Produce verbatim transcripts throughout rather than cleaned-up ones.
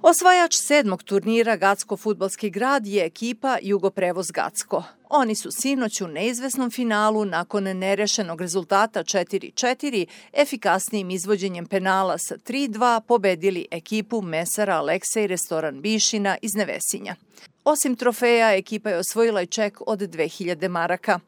Osvajač sedmog turnira Gacko fudbalski grad je ekipa Jugoprevoz Gacko. Oni su sinoć u neizvesnom finalu nakon nerešenog rezultata četiri četiri efikasnijim izvođenjem penala sa tri dva pobedili ekipu mesara Aleksej Restoran Bišina iz Nevesinja. Osim trofeja, ekipa je osvojila i ček od dve hiljade maraka.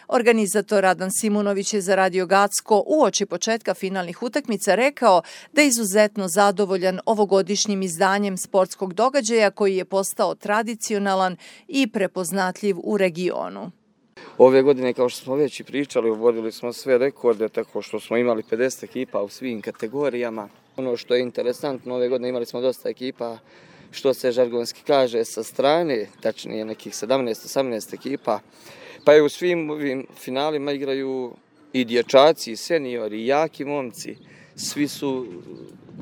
Organizator Radan Simunović je za Radio Gacko uoči početka finalnih utakmica rekao da je izuzetno zadovoljan ovogodišnjim izdanjem sportskog događaja koji je postao tradicionalan i prepoznatljiv u regionu. Ove godine, kao što smo već i pričali, uvodili smo sve rekorde, tako što smo imali pedeset ekipa u svim kategorijama. Ono što je interesantno, ove godine imali smo dosta ekipa, što se žargonski kaže, sa strane, tačnije nekih sedamnaest osamnaest ekipa. Pa je u svim ovim finalima igraju i dječaci, i seniori, i jaki momci. Svi su,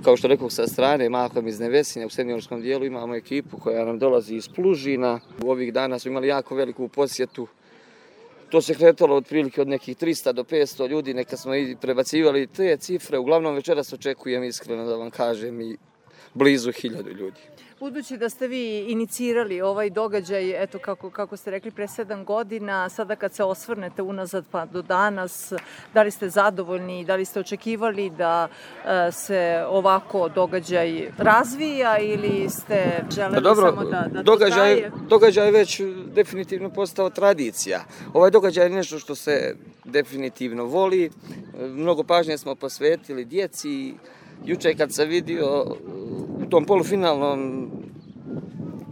kao što rekao, sa strane, mahom iz Nevesinja. U seniorskom dijelu imamo ekipu koja nam dolazi iz Plužina. U ovih dana smo imali jako veliku posjetu. To se kretalo otprilike od nekih trista do petsto ljudi, neka smo i prebacivali te cifre. Uglavnom večeras očekujem, iskreno da vam kažem, i blizu hiljadu ljudi. Budući da ste vi inicirali ovaj događaj, eto kako, kako ste rekli, pre sedam godina, sada kad se osvrnete unazad pa do danas, da li ste zadovoljni, da li ste očekivali da e, se ovako događaj razvija ili ste želeli dobro, samo da, da događaj, to traje? Događaj je već definitivno postao tradicija. Ovaj događaj je nešto što se definitivno voli. Mnogo pažnje smo posvetili djeci. Juče kad sam vidio u tom polufinalnom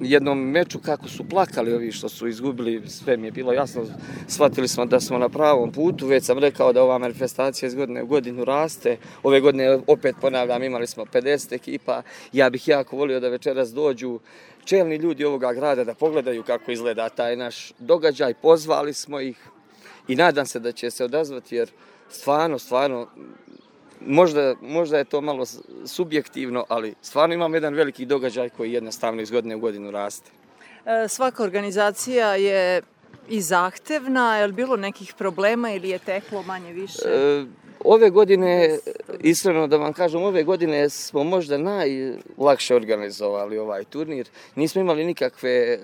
jednom meču kako su plakali ovi što su izgubili, sve mi je bilo jasno, shvatili smo da smo na pravom putu. Već sam rekao da ova manifestacija iz godine u godinu raste. Ove godine, opet ponavljam, imali smo pedeset ekipa. Ja bih jako volio da večeras dođu čelni ljudi ovoga grada da pogledaju kako izgleda taj naš događaj. Pozvali smo ih i nadam se da će se odazvati, jer stvarno, stvarno, Možda, možda je to malo subjektivno, ali stvarno imamo jedan veliki događaj koji jednostavno iz godine u godinu raste. E, svaka organizacija je i zahtevna, je li bilo nekih problema ili je teklo manje više? E, ove godine, iskreno da vam kažem, ove godine smo možda najlakše organizovali ovaj turnir. Nismo imali nikakve,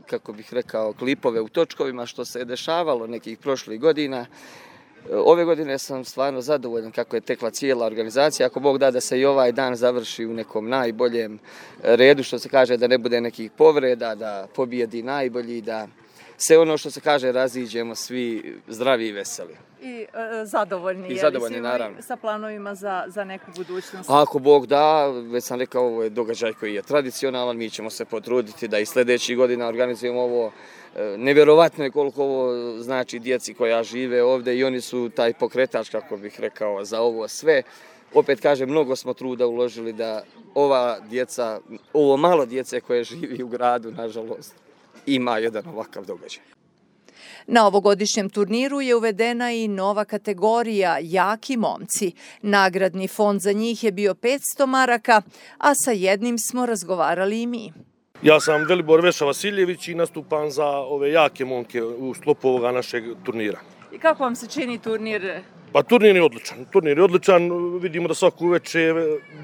kako bih rekao, klipove u točkovima što se je dešavalo nekih prošlih godina. Ove godine sam stvarno zadovoljan kako je tekla cijela organizacija. Ako Bog da da se i ovaj dan završi u nekom najboljem redu, što se kaže, da ne bude nekih povreda, da pobijedi najbolji, da se ono što se kaže raziđemo svi zdravi i veseli. I e, zadovoljni, I zadovoljni, naravno. Sa planovima za, za neku budućnost. Ako Bog da, već sam rekao, ovo je događaj koji je tradicionalan, mi ćemo se potruditi da i sljedećih godina organizujemo ovo. Nevjerovatno je koliko ovo znači djeci koja žive ovdje i oni su taj pokretač, kako bih rekao, za ovo sve. Opet kažem, mnogo smo truda uložili da ova djeca, ovo malo djece koje živi u gradu, nažalost, ima jedan ovakav događaj. Na ovogodišnjem turniru je uvedena i nova kategorija jaki momci. Nagradni fond za njih je bio petsto maraka, a sa jednim smo razgovarali i mi. Ja sam Velibor Veša Vasiljević i nastupam za ove jake momke u sklopu ovoga našeg turnira. I kako vam se čini turnir? Pa turnir je odličan. Turnir je odličan. Vidimo da svaku uveče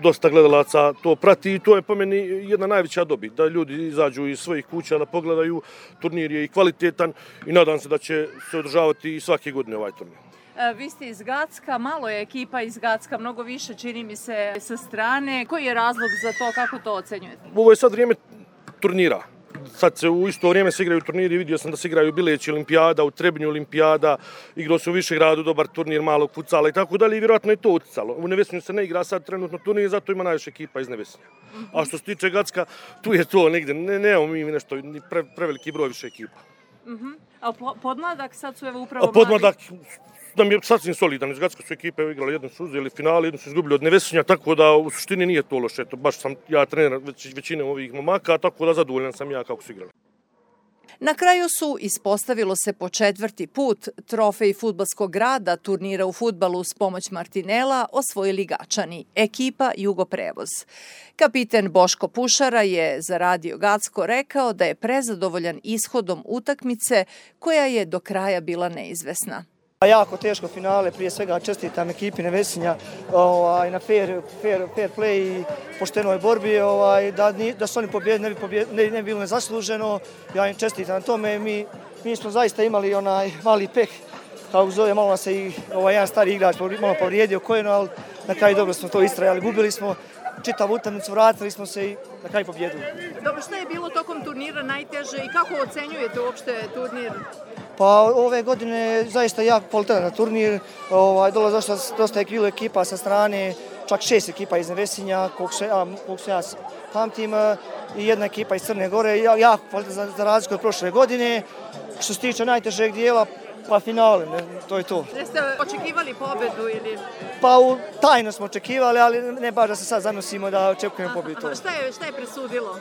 dosta gledalaca to prati i to je po meni jedna najveća dobit. Da ljudi izađu iz svojih kuća da pogledaju. Turnir je i kvalitetan i nadam se da će se održavati i svake godine ovaj turnir. Vi ste iz Gacka, malo je ekipa iz Gacka, mnogo više čini mi se sa strane. Koji je razlog za to, kako to ocenjujete? Ovo je sad vrijeme turnira. Sad se u isto vrijeme se igraju turniri, vidio sam da se igraju Bileći olimpijada, u Trebinju olimpijada, igrao se u Višegradu dobar turnir malog futsala i tako dalje i vjerojatno je to uticalo. U Nevesinju se ne igra sad trenutno turnir, zato ima najviše ekipa iz Nevesinja. A što se tiče Gacka, tu je to negdje, ne, nemamo mi nešto, ni pre, preveliki broj više ekipa. Uh-huh. A podmladak sad su evo upravo podmladak nam je sasvim solidan. Iz Gacka su ekipe igrali, jednu su uzeli finale, jednu su izgubili od Nevesinja, tako da u suštini nije to loše. To baš sam ja trener već, većine ovih momaka, tako da zadovoljan sam ja kako su igrali. Na kraju su, ispostavilo se po četvrti put, trofej fudbalskog grada turnira u fudbalu s pomoć Martinela osvojili Gačani, ekipa Jugoprevoz. Kapiten Boško Pušara je za Radio Gacko rekao da je prezadovoljan ishodom utakmice koja je do kraja bila neizvesna. Jako teško finale, prije svega čestitam ekipi Nevesinja ovaj, na fair, fair, fair play i poštenoj borbi, ovaj, da, da su oni pobjedili, ne bi, pobjed, ne, ne bi bilo nezasluženo, ja im čestitam na tome, mi, mi smo zaista imali onaj mali peh, kako zove, malo nas se i ovaj, jedan stari igrač malo povrijedio koljeno, ali na kraju dobro smo to istrajali, gubili smo čitavu utakmicu, vratili smo se i na kraju pobjedili. Dobro, šta je bilo tokom turnira najteže i kako ocenjujete uopšte turnir? Pa ove godine je zaista jako kvalitetan turnir, ovaj, dolazi dosta, dosta je bilo ekipa sa strane, čak šest ekipa iz Nevesinja, koliko se, ja, koliko se ja pamtim, i jedna ekipa iz Crne Gore, jako kvalitetan za, za razliku od prošle godine. Što se tiče najtežeg dijela, pa finale, ne, to je to. Jeste očekivali pobedu ili? Pa u, tajno smo očekivali, ali ne baš da se sad zanosimo da očekujemo pobedu. Šta je, šta je presudilo?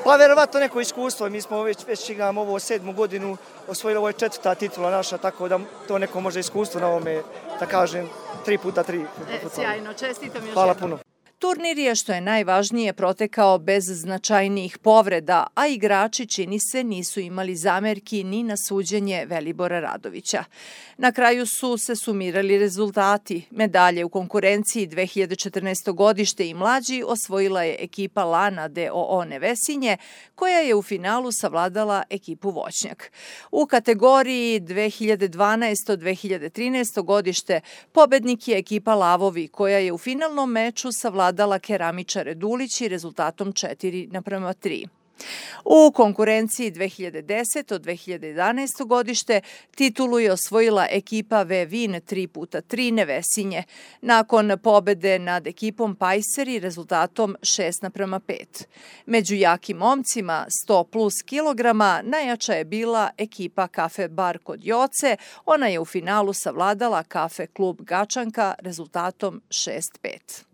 Pa verovatno neko iskustvo, mi smo već, već igramo ovo sedmu godinu, osvojili ovo je četvrta titula naša, tako da to neko može iskustvo na ovome, da kažem, tri puta tri. E, sjajno, čestitam još Hvala jednom. puno. Turnir je, što je najvažnije, protekao bez značajnijih povreda, a igrači, čini se, nisu imali zamerki ni na suđenje Velibora Radovića. Na kraju su se sumirali rezultati. Medalje u konkurenciji dve hiljade četrnaesto. godište i mlađi osvojila je ekipa Lana d o o Nevesinje, koja je u finalu savladala ekipu Voćnjak. U kategoriji dve hiljade dvanaesto. do dve hiljade trinaesto. godište pobednik je ekipa Lavovi, koja je u finalnom meču savladala dala keramičare Dulići rezultatom četiri naprema tri. U konkurenciji dve hiljade deseto. do dve hiljade jedanaesto. godište titulu je osvojila ekipa Vevin tri puta tri Nevesinje, nakon pobede nad ekipom Pajseri rezultatom šest naprema pet. Među jakim momcima sto plus kilograma najjača je bila ekipa Kafe Bar kod Joce, ona je u finalu savladala Kafe klub Gačanka rezultatom šest pet.